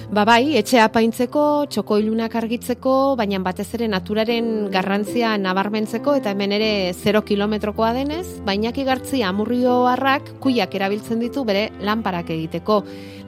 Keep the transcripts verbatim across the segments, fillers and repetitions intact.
Ba bai, etxea apaintzeko, txokoilunak argitzeko, baina batez ere naturaren garrantzia nabarmentzeko eta hemen ere zero kilometrokoa denez, Bainaki Gartzia Amurrioarrak kuiak erabiltzen ditu bere lanparak egiteko.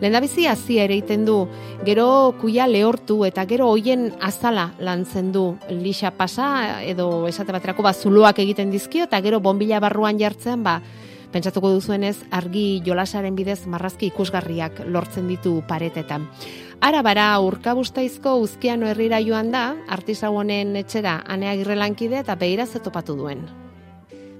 Lehendabizi hazia ere egiten du, gero kuia lehortu eta gero hoien azala lantzen du. Lixa pasa edo esate baterako ba zuloak egiten dizkio eta gero bonbila barruan jartzean ba pentsatuko duzuenez argi jolasaren bidez marrazki ikusgarriak lortzen ditu paretetan. Arabara Urkabustaizko Uzkiano herrira joan da, artisau honen etxera Ane Agirre lankide eta begira ze topatu duen.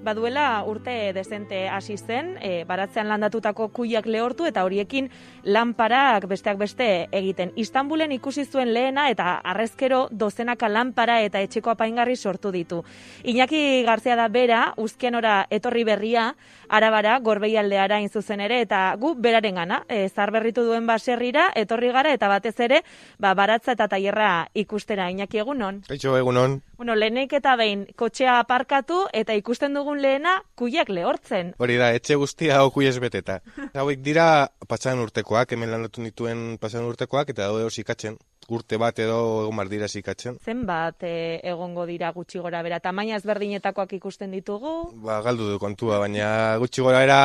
Baduela urte dezente hasi zen, e, baratzean landatutako kuiak lehortu eta horiekin lanparak besteak beste egiten. Istanbulen ikusi zuen lehena eta harrezkero dozenaka lanpara eta etxeko apaingarri sortu ditu. Iñaki Garzia da bera, Uzkianora etorri berria, Arabara, Gorbeialdeara hain zuzen ere, eta gu berarengana, e, zarberritu duen baserrira, etorri gara eta batez ere, ba, baratza eta tailerra ikustera. Iñaki, egunon? Kaixo, egunon. Bueno, lehenik eta behin, kotxea aparkatu eta ikusten dugun lehena kuiak lehortzen. Hori da, etxe guztia hau kuiez beteta. Hauek dira pasan urtekoak, hemen landatu nituen pasan urtekoak, eta daude hor zikatzen. Urte bat edo egon bar dira zikatzen. Zenbat e, egongo dira gutxi gora bera, tamaina ezberdinetakoak ikusten ditugu? Ba, galdu du kontua, baina gutxi gora bera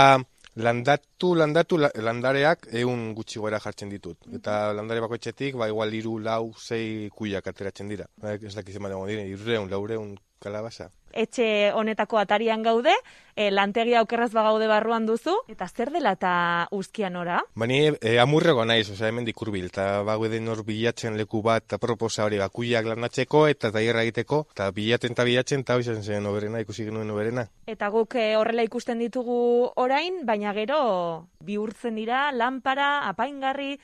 landatu, landatu, landareak egun gutxi gora jartzen ditut. Eta landare bakoitzetik, ba, igual iru, lau, sei kuiak ateratzen dira. Ba, ez dakiz ema dago dira, irreun, laureun kalabaza. Etxe honetako atarian gaude, e, lantegia aukerraz bagaude barruan duzu, eta zer dela eta Uzkianora? Bani e, amurrego naiz, osea hemen dikurbil, eta bago den hor bilatzen leku bat aproposa hori, bakuiak landatzeko eta tailerra egiteko, eta bilatzen eta bilatzen eta hoizan zen oberena, ikusi genuen oberena. Eta guk e, horrela ikusten ditugu orain, baina gero bihurtzen dira, lanpara, apaingarri,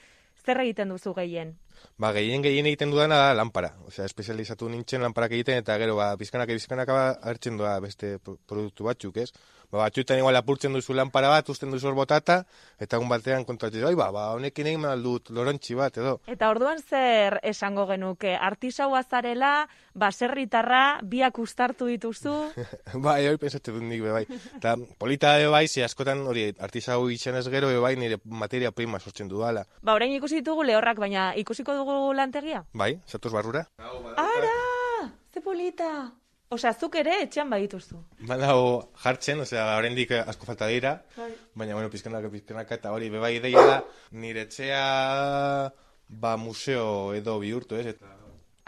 zer egiten duzu gehien? Ba, gehien gehien egiten dudana da lanpara. Osea, espezializatu nintzen lanparak egiten eta gero ba bizkanaka bizkanaka hartzen doa beste produktu batzuk, ez? Ba, batzuetan igual apurtzen duzu lanpara bat, uzten duzu hor botata eta egun batean kontratzen, "Oi, ba, ba honekin egin dut lorontzi bat edo." Eta orduan zer esango genuke? Artisaua zarela, baserritarra, biak uztartu dituzu? Bai, hori pensatzen dut nik be bai. Ta polita be bai, ze askotan hori artisau izanez gero be bai nire materia prima sortzen dudala. Ba, orain ikusi ditugu lehorrak, baina ikusiko dugu lantegia? Bai, zatoz barrura. Ara! Ze polita! Osea, zuk ere etxean badituzu. Badago jartzen, osea, oraindik asko falta dira, baina, bueno, pizkanaka, pizkanaka, eta hori, bebai ideia da, nire etxea, ba, museo edo bihurtu, ez, eta...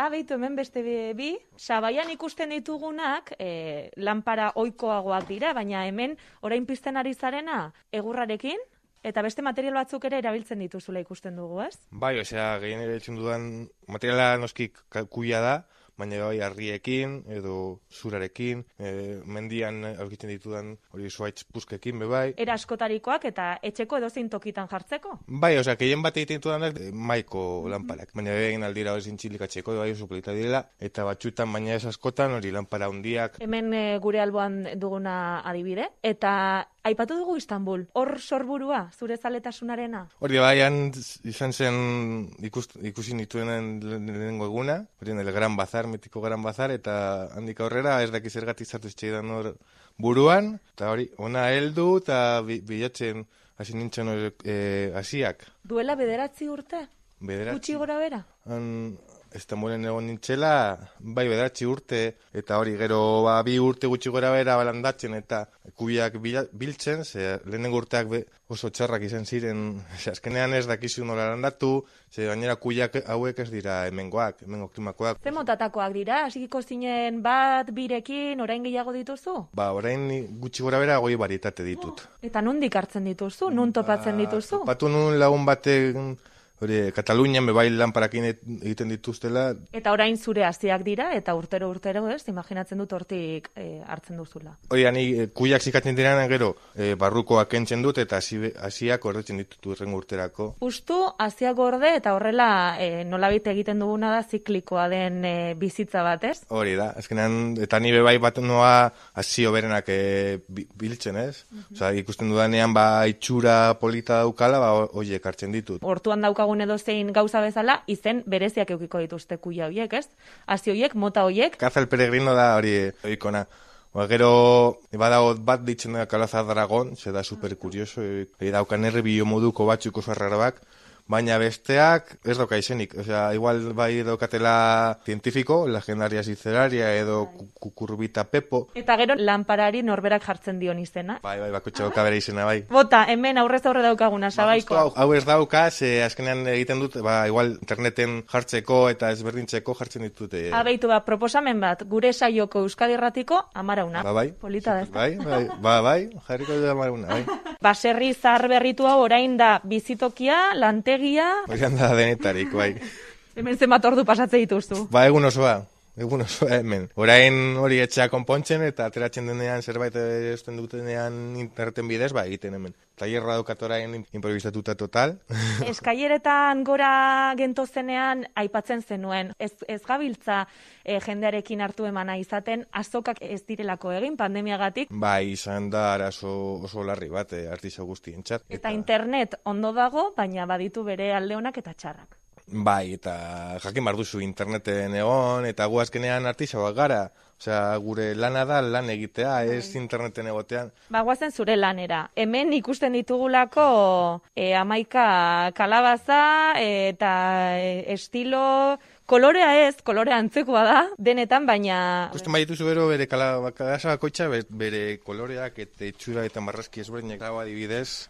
Ah, behitu, hemen beste bi, Sabaian ikusten ditugunak, e, lanpara ohikoagoak dira, baina hemen, orain pizten ari zarena, egurrarekin, eta beste material batzuk ere erabiltzen dituzula ikusten dugu, ez? Bai, osea, gehien erabiltzen dudan materiala noski kuia da, baina bai harriekin edo zurarekin, e, mendian aurkitzen ditudan hori zuaitz puzkekin be bai. Era askotarikoak eta etxeko edozein tokitan jartzeko? Bai, osea, gehien bat egiten ditudanak maiko lanparak, baina egin aldira hori zintxilikatzeko, bai oso polita direla, eta batzuetan baina ez askotan hori lanpara hundiak. Hemen e, gure alboan duguna adibide, eta aipatu dugu Istanbul, hor sorburua, zure zaletasunarena? Hori baian izan zen ikus, ikusi nituenen lehenengo eguna, hori el Gran Bazar, mitiko Gran Bazar, eta handik aurrera ez dakiz zergatik sartu zitzaidan hor buruan, eta hori, ona heldu eta bilatzen hasi nintzen hori e, hasiak. Duela bederatzi urte? Bederatzi. Gutxi gora bera? Han, Istanbulen egon nintzela, bai bederatzi urte, eta hori gero ba, bi urte gutxi gora bera balandatzen eta kubiak biltzen, ze lehenengo urteak be, oso txarrak izan ziren, ze azkenean ez dakizu nola landatu, ze gainera kubiak hauek ez dira hemengoak, hemengo klimakoak. Ze motatakoak dira, hasikiko zinen bat, birekin, orain gehiago dituzu? Ba, orain gutxi gora bera goi barietate ditut. Oh, eta nondik hartzen dituzu, nun topatzen dituzu? Ba, topatu nun lagun batek... Hori, Katalunian bebai lanparakin egiten dituztela. Eta orain zure hasiak dira, eta urtero urtero, ez, imaginatzen dut hortik e, hartzen duzula. Hori, ani kuiak zikatzen direnan gero, e, barrukoak kentzen dut, eta hasiak gordetzen ditut urrengo urterako. Justu, hasiak gorde, eta horrela e, nolabait egiten duguna da ziklikoa den e, bizitza bat, ez? Hori da, azkenean, eta ni bebai bat noa hasio berenak e, biltzen, ez? Uh-huh. Osa, ikusten dudanean, ba, itxura polita daukala, ba, horiek hartzen ditut. Hortuan dauka edo zein gauza bezala, izen bereziak eukiko dituzte kuia horiek, ez? Hasi horiek, mota horiek. Caza el peregrino da hori oikona. Ba, gero, badago bat ditzen da Calaza Dragon, ze da super kurioso, e, daukan erre bio moduko batzuk oso arrarabak, baina besteak ez dauka izenik. Osea, igual bai daukatela científico, legendaria zizeraria edo kukurbita pepo. Eta gero lanparari norberak jartzen dion izena. Bai, bai, bakotxe dauka bere izena, bai. Bota, hemen aurrez aurre daukaguna, Sabaiko. Hau, hau ez dauka, ze azkenean egiten dut, ba, igual interneten jartzeko eta ezberdintzeko jartzen ditute. Abeitu ba, proposamen bat, gure saioko Euskadi Irratiko amarauna. Ba, bai. Polita da, ez da? Bai, bai, ba, bai, jarriko dut amarauna, bai. Baserri zahar berritu hau orain da bizitokia, lantegia... Horian da denetarik, bai. Hemen zenbat ordu pasatze dituztu. Ba, egun osoa. Egun osoa hemen. Orain hori etxea konpontzen eta ateratzen denean zerbait esten dutenean interneten bidez, ba, egiten hemen. Tailerra daukat orain improvisatuta total. Eskaileretan gora gentozenean aipatzen zenuen. Ez, ez gabiltza e, jendearekin hartu emana izaten, azokak ez direlako egin pandemiagatik. Bai, izan da arazo oso larri bat, e, artista guztientzat. Eta, eta internet ondo dago, baina baditu bere alde onak eta txarrak. Bai, eta jakin behar duzu interneten egon, eta gu azkenean artisaoak gara. Osea, gure lana da lan egitea, ez interneten egotean. Ba, guazen zure lanera. Hemen ikusten ditugulako e, amaika kalabaza eta e, estilo... Kolorea ez, kolorea antzekoa da, denetan, baina... Ikusten bai dituzu bero bere kalabaza bakoitza, bere koloreak eta itxura eta marrazki ezberdinak dago adibidez,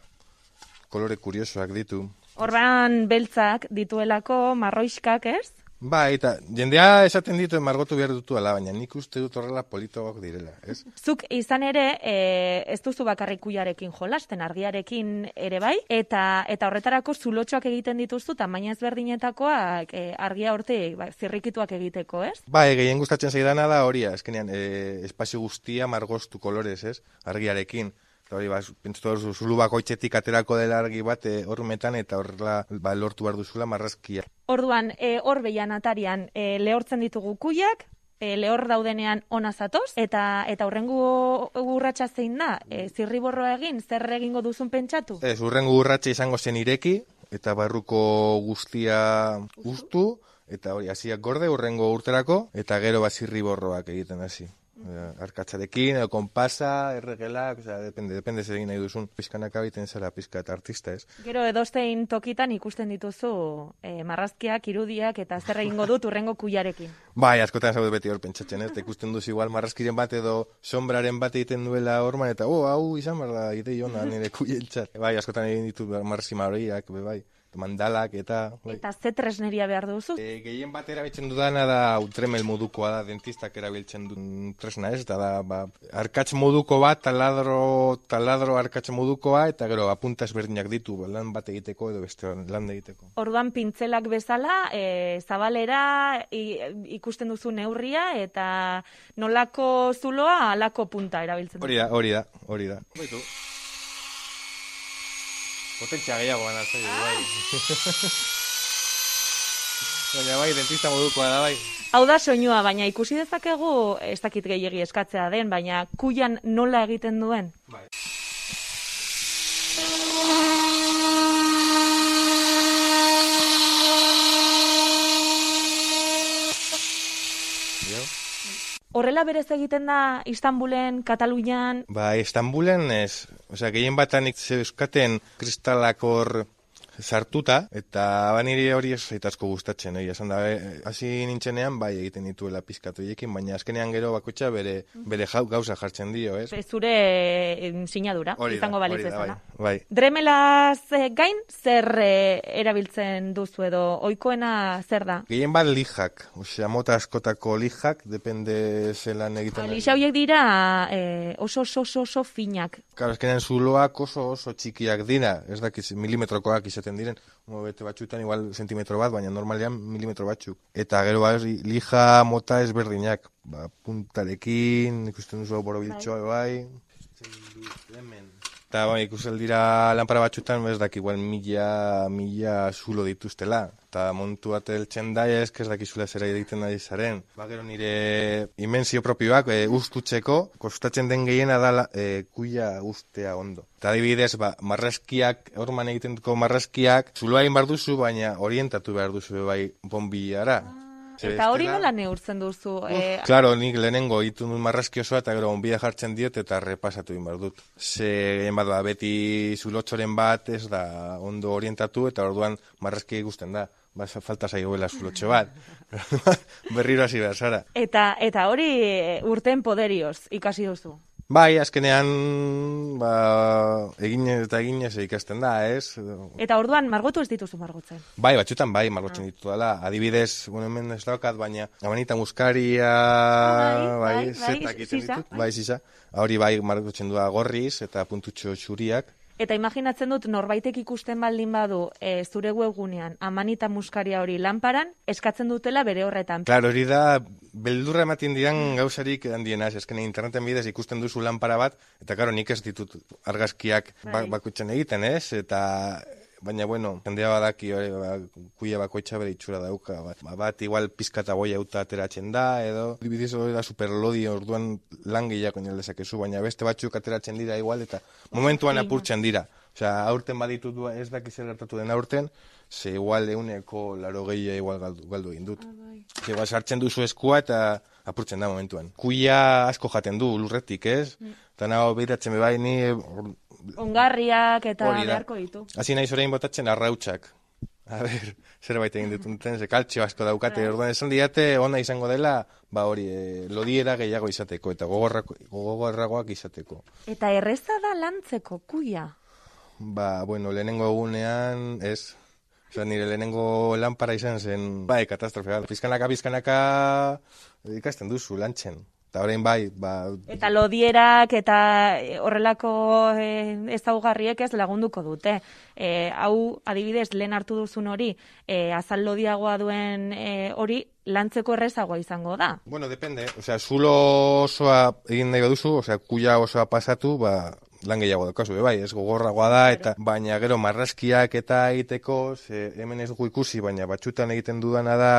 kolore kuriosoak ditu. Orban beltzak dituelako, marroiskak, ez? Ba, eta jendea esaten ditu margotu behar dutu ala, baina nik uste dut horrela politoak direla, ez? Zuk izan ere, e, ez duzu bakarrik kuiarekin jolasten, argiarekin ere bai, eta eta horretarako zulotxoak egiten dituzu, tamaina ezberdinetakoak e, argia hortik ba, zirrikituak egiteko, ez? Ba, e, gehien gustatzen zaidana da hori, azkenean, e, espazio guztia margoztu kolorez, ez? Argiarekin. Eta hori, ba, pentsatu hor, zulu bakoitzetik aterako dela argi bat hormetan e, eta horrela ba, lortu behar duzula marrazkia. Orduan, e, hor behian atarian e, lehortzen ditugu kuiak, e, lehor daudenean ona zatoz, eta eta urrengo urratsa zein da, e, zirriborroa egin, zer egingo duzun pentsatu? Ez, urrengo urratsa izango zen ireki, eta barruko guztia guztu, eta hori, hasiak gorde urrengo urterako, eta gero ba, zirriborroak egiten hasi. Arkatzarekin, edo konpasa, erregelak, osea, depende, depende zer egin nahi duzun. Pizkanaka biten zara pizka eta artista, ez? Gero edozein tokitan ikusten dituzu e, marrazkiak, irudiak eta zer egingo dut urrengo kuiarekin. Bai, askotan zaude beti hor pentsatzen, ez? Ikusten duzu igual marrazkiren bat edo sombraren bat egiten duela horman, eta oh, hau izan behar da, idei hona nire kuientzat. Bai, askotan egin ditu marrazki maroiak, bai. Mandalak eta... Bai. Eta ze tresneria behar duzu? E, gehien bat erabiltzen dudana da utremel modukoa da, dentistak erabiltzen duen tresna ez, eta da, ba, arkatz moduko bat, taladro, taladro arkatz modukoa, eta gero apunta ezberdinak ditu, lan bat egiteko edo beste lan egiteko. Orduan pintzelak bezala, e, zabalera i, ikusten duzu neurria, eta nolako zuloa, alako punta erabiltzen duzu. Hori da, hori da, hori da. Baitu. Potentzia gehiago gana zaio, bai. Baina bai, dentista modukoa da, bai. Hau da soinua, baina ikusi dezakegu, ez dakit gehiegi eskatzea den, baina kuian nola egiten duen? Bai. Horrela berez egiten da Istanbulen, Katalunian? Ba, Istanbulen ez. Osea, gehien batanik zeuskaten kristalak hor sartuta, eta baniri hori ez zaitazko gustatzen, oi, esan da, hasi nintzenean, bai egiten dituela pizkatu ekin, baina azkenean gero bakoitza bere, bere jau, gauza jartzen dio, ez? Zure sinadura, izango balitz bezala. Bai, bai. Dremelaz gain, zer e, erabiltzen duzu edo, ohikoena zer da? Gehien bat lijak, osea, mota askotako lijak, depende zelan egiten. Lixa horiek dira e, oso, oso, oso, oso finak. Claro, azkenean zuloak oso, oso txikiak dira, ez dakiz, milimetrokoak izaten diren, bete batxutan igual sentimetro bat, baina normalean milimetro batzuk. Eta gero ba, lija mota ezberdinak, ba, puntarekin, ikusten duzu borobiltxoa, bai. Eta bai, ikusten dira lanpara batxutan, ez daki igual mila, mila zulo dituztela. Eta montu bat eltzen da, ez ez dakizula zera egiten ari zaren. Ba, gero nire imensio propioak e, ustutzeko, kostatzen den gehiena da e, kuia ustea ondo. Eta adibidez, ba, marrazkiak, horman egiten duko marrazkiak, zuloa egin behar duzu, baina orientatu behar duzu bai bombiara. Eta hori nola neurtzen duzu? Eh... Claro, nik lehenengo itun dut marrazki osoa eta gero onbia jartzen diot eta repasatu egin behar dut. Ze, bat da, beti zulotxoren bat ez da ondo orientatu eta orduan marrazki ikusten da. Ba, falta zaioela zulotxo bat. Berriro hasi behar zara. Eta, eta hori urten poderioz ikasi duzu? Bai, azkenean, ba, eginez eta eginez ikasten da, ez? Eta orduan, margotu ez dituzu margotzen? Bai, batxutan bai, margotzen ah. ditu dela. Adibidez, bueno, hemen ez daukat, baina amanita muskaria, ah, bai, bai, zetak bai, iten ditut. Bai, zisa. Hori bai, margotzen du gorriz eta puntutxo txuriak. Eta imaginatzen dut, norbaitek ikusten baldin badu e, zure webgunean amanita muskaria hori lanparan, eskatzen dutela bere horretan. Claro, hori da, beldurra ematen diran gauzarik handiena, eskene interneten bidez ikusten duzu lanpara bat, eta karo, nik ez ditut argazkiak bai. bakutzen egiten, ez? Eta, baina, bueno, jendea badaki, hori, ba, kuia bakoitza bere itxura dauka, bat, bat igual pizkata boia auta ateratzen da, edo, dibidiz hori da superlodi, orduan lan gehiago dezakezu, baina beste batzuk ateratzen dira igual, eta momentuan apurtzen dira. Osea, aurten baditut ez dakiz gertatu den aurten, ze igual euneko laro gehia igual galdu, galdu egin dut. Ah, bai. Sartzen duzu eskua eta apurtzen da momentuan. Kuia asko jaten du lurretik, ez? Mm. Eta nago behiratzen bebai ni... Ongarriak eta beharko ditu. Hasi nahi zorein botatzen arrautxak. A ber, zerbait egin dituten, ze kaltxio asko daukate. Right. Orduan esan diate, ona izango dela, ba hori, e, lodiera gehiago izateko, eta gogorragoak izateko. Eta erreza da lantzeko, kuia? Ba, bueno, lehenengo egunean, ez... Osa, nire lehenengo lanpara izan zen, bai, katastrofea. Pizkanaka, pizkanaka, ikasten duzu, lantzen. Eta horrein bai, ba... Eta lodierak eta horrelako e, ezaugarriek ez lagunduko dute. E, hau, adibidez, lehen hartu duzun hori, e, azal lodiagoa duen e, hori, lantzeko errezagoa izango da. Bueno, depende. Osea, zulo osoa egin nahi baduzu, osea, kuia osoa pasatu, ba... lan gehiago daukazu, bai, ez gogorragoa da, eta baina gero marrazkiak eta egiteko, ze hemen ez gu ikusi, baina batxutan egiten dudana da,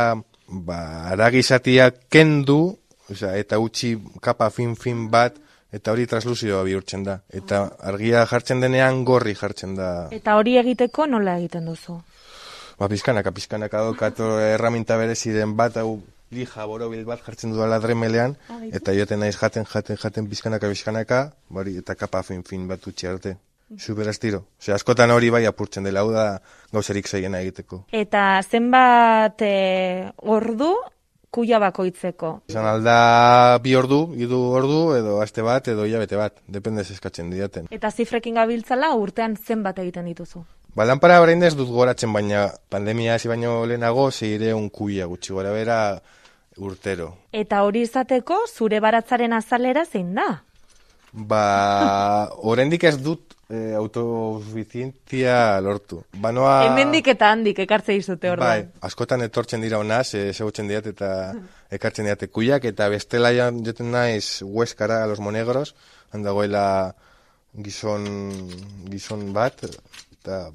ba, aragizatiak kendu, osea, eta utzi kapa fin-fin bat, eta hori transluzioa bihurtzen da. Eta argia jartzen denean gorri jartzen da. Eta hori egiteko nola egiten duzu? Ba, pizkanaka, pizkanaka daukat erraminta bereziren bat, hau lija borobil bat jartzen dudala dremelean, eta joten naiz jaten, jaten, jaten, pizkanaka, pizkanaka, bari, eta kapa fin-fin bat utzi arte. Super astiro. Osea, askotan hori bai apurtzen dela, hau da gauzerik zeiena egiteko. Eta zenbat e, ordu kuia bakoitzeko? Izan alda bi ordu, hiru ordu, edo aste bat, edo hilabete bat, dependez eskatzen diaten. Eta zifrekin gabiltzala urtean zenbat egiten dituzu? Ba, lanpara orain ez dut goratzen, baina pandemia hasi baino lehenago zeireun kuia gutxi gora bera urtero. Eta hori izateko zure baratzaren azalera zein da? Ba, oraindik ez dut e, autosuficientia lortu. Banoa... Hemendik eta handik ekartze izute orduan. Bai, askotan etortzen dira honaz, ezagutzen diat eta ekartzen diate kuiak, eta bestela joten naiz Hueskara a los Monegros, handagoela gizon, gizon bat, eta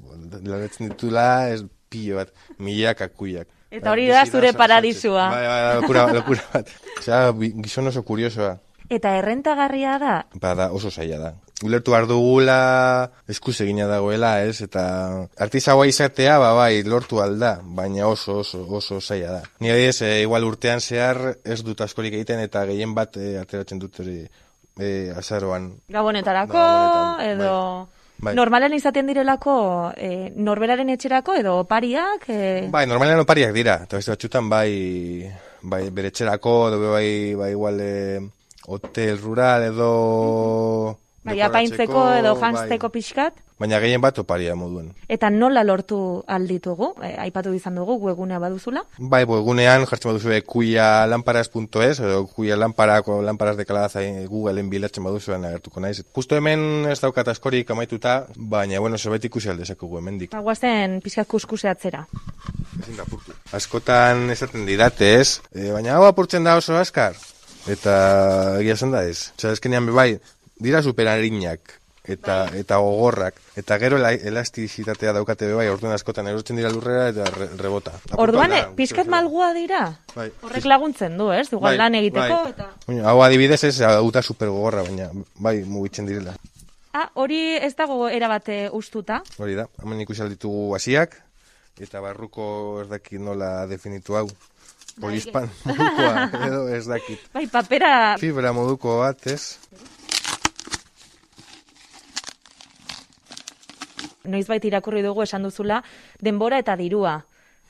lanetzen ditula ez pilo bat, milaka kuiak. Eta hori da zure paradisua. Bai, bai, lokura, lokura bat. Osea, gizon oso kuriosoa. Eta errentagarria da? Ba, da, oso zaila da. Ulertu behar dugula eskuz egina dagoela, ez? Eta artizagoa izatea, ba, bai, lortu alda, baina oso, oso, oso zaila da. Ni adibidez, e, igual urtean zehar ez dut askorik egiten eta gehien bat e, ateratzen dut hori e, azaroan. Gabonetarako, Gabonetan, edo... Bai. Bai. Normalen izaten direlako e, norberaren etxerako edo opariak? E... Bai, normalen opariak dira. Eta beste batxutan bai, bai bere etxerako, edo bai, bai igual e, hotel rural edo... Bai, apaintzeko edo janzteko bai. Pixkat? Baina gehien bat oparia moduen. Eta nola lortu alditugu? E, aipatu izan dugu, webgunea baduzula? Bai, webgunean jartzen baduzu kuia lamparas punto es, edo kuia lamparako lamparas de calabaza Googleen bilatzen baduzuen agertuko naiz. Justo hemen ez daukat askorik amaituta, baina, bueno, zerbait ikusi aldezakegu hemendik. Guazen pixkat kuskuseatzera. Ezin da apurtu. Askotan esaten didate ez, e, baina hau apurtzen da oso askar. Eta egia zen da ez. Osa, eskenean bebai, dira superarinak. Eta, eta gogorrak, eta gero elastizitatea daukate bai, orduan askotan erortzen dira lurrera eta re, rebota. Orduan, pizkat malgua dira? Bai. Horrek laguntzen du, ez? Igual bai, lan egiteko, bai. Eta... Hau adibidez ez, auta super gogorra, baina bai, mugitzen direla. Ah, hori ez dago erabate ustuta? Hori da, hemen ikusi alditugu hasiak, eta barruko ez dakit nola definitu hau. Polispan modukoa, edo ez dakit. Bai, papera... Fibra moduko bat, ez? Noizbait irakurri dugu esan duzula, denbora eta dirua.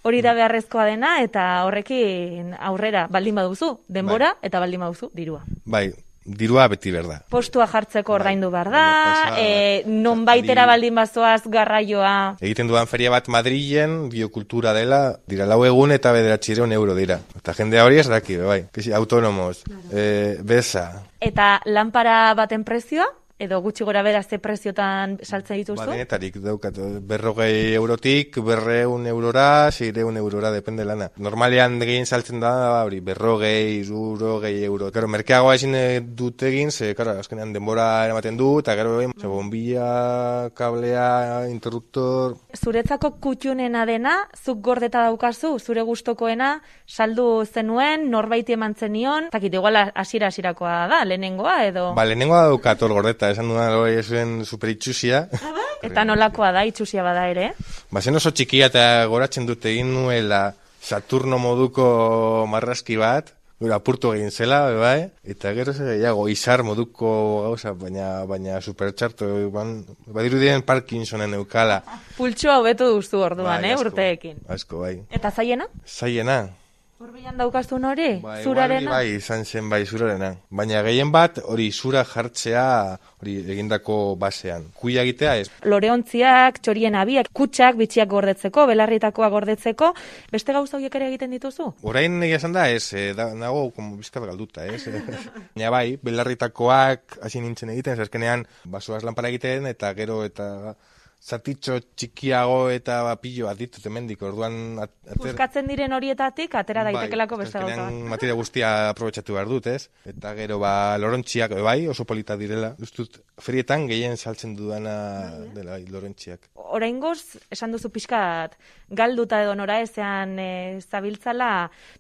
Hori da beharrezkoa dena eta horrekin aurrera baldin baduzu, denbora bai. Eta baldin baduzu, dirua. Bai, dirua beti behar da. Postua jartzeko ordaindu behar da, e, non baitera baldin bazoaz garraioa. Egiten dudan feria bat Madrilen, biokultura dela, dira lau egun eta bederatzireun euro dira. Eta jendea hori ez daki, bai, autonomos, claro. e, beza. Eta lanpara baten prezioa? Edo gutxi gora bera ze preziotan saltzen dituzu? Ba, denetarik daukat, berrogei eurotik, berreun eurora, seireun eurora, depende lana. Normalean gehien saltzen da, hori, berrogei, irurogei euro. Gero, merkeagoa ezin dut egin, ze, karo, azkenean denbora eramaten du, eta gero, ze, bombilla, kablea, interruptor... Zuretzako kutxunena dena, zuk gordeta daukazu, zure gustokoena, saldu zenuen, norbaiti eman zenion, zakit, igual hasiera-hasierakoa da, lehenengoa, edo... Ba, lehenengoa daukat hor gordeta, esan dudan hori esuen superitxusia. Eta nolakoa da, itxusia bada ere? Ba, zen oso txikia eta goratzen dut egin nuela Saturno moduko marrazki bat, gura apurtu egin zela, bai, eta gero ze gehiago, izar moduko gauza, baina, baina supertxarto, badirudien Parkinsonen eukala. Pultxoa hobetu duzu orduan, bai, eh, urteekin. Asko, bai. Eta zaiena? Zaiena. Horbilan daukazun hori, ba, zurarena? Bai, izan zen bai, zurarena. Baina gehien bat, hori zura jartzea, hori egindako basean. Kuia egitea ez. Loreontziak, txorien abiak, kutsak, bitxiak gordetzeko, belarritakoa gordetzeko, beste gauza horiek ere egiten dituzu? Orain egia esan da, ez, da, nago, como bizkat galduta, ez. Baina bai, belarritakoak hasi nintzen egiten, zazkenean, basoaz lanpara egiten, eta gero, eta... zatitxo txikiago eta pillo bat ditut emendik, orduan... Ater... Puskatzen diren horietatik, atera daitekelako beste gauza bat. Materia guztia aprobetxatu behar dut, ez? Eta gero, ba, lorontxiak, bai, oso polita direla. Duztut, ferietan gehien saltzen dudana dela, bai, lorontxiak. Oraingoz, esan duzu pixkat, galduta edo nora ezean e, zabiltzala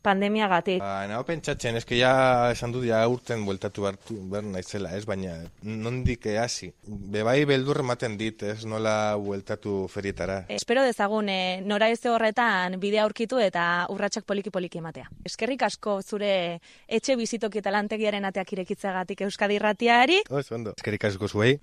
pandemiagatik. Ba, nago pentsatzen, eske ja esan dut, ja urten bueltatu behar naizela, ez? Baina, nondik hasi. Bebai beldur ematen dit, ez? Nola bueltatu ferietara. Espero dezagun e, nora eze horretan bidea aurkitu eta urratsak poliki-poliki ematea. Eskerrik asko zure etxe bizitoki eta lantegiaren ateak irekitzeagatik Euskadi Irratiari. Oso ondo. Eskerrik asko zuei.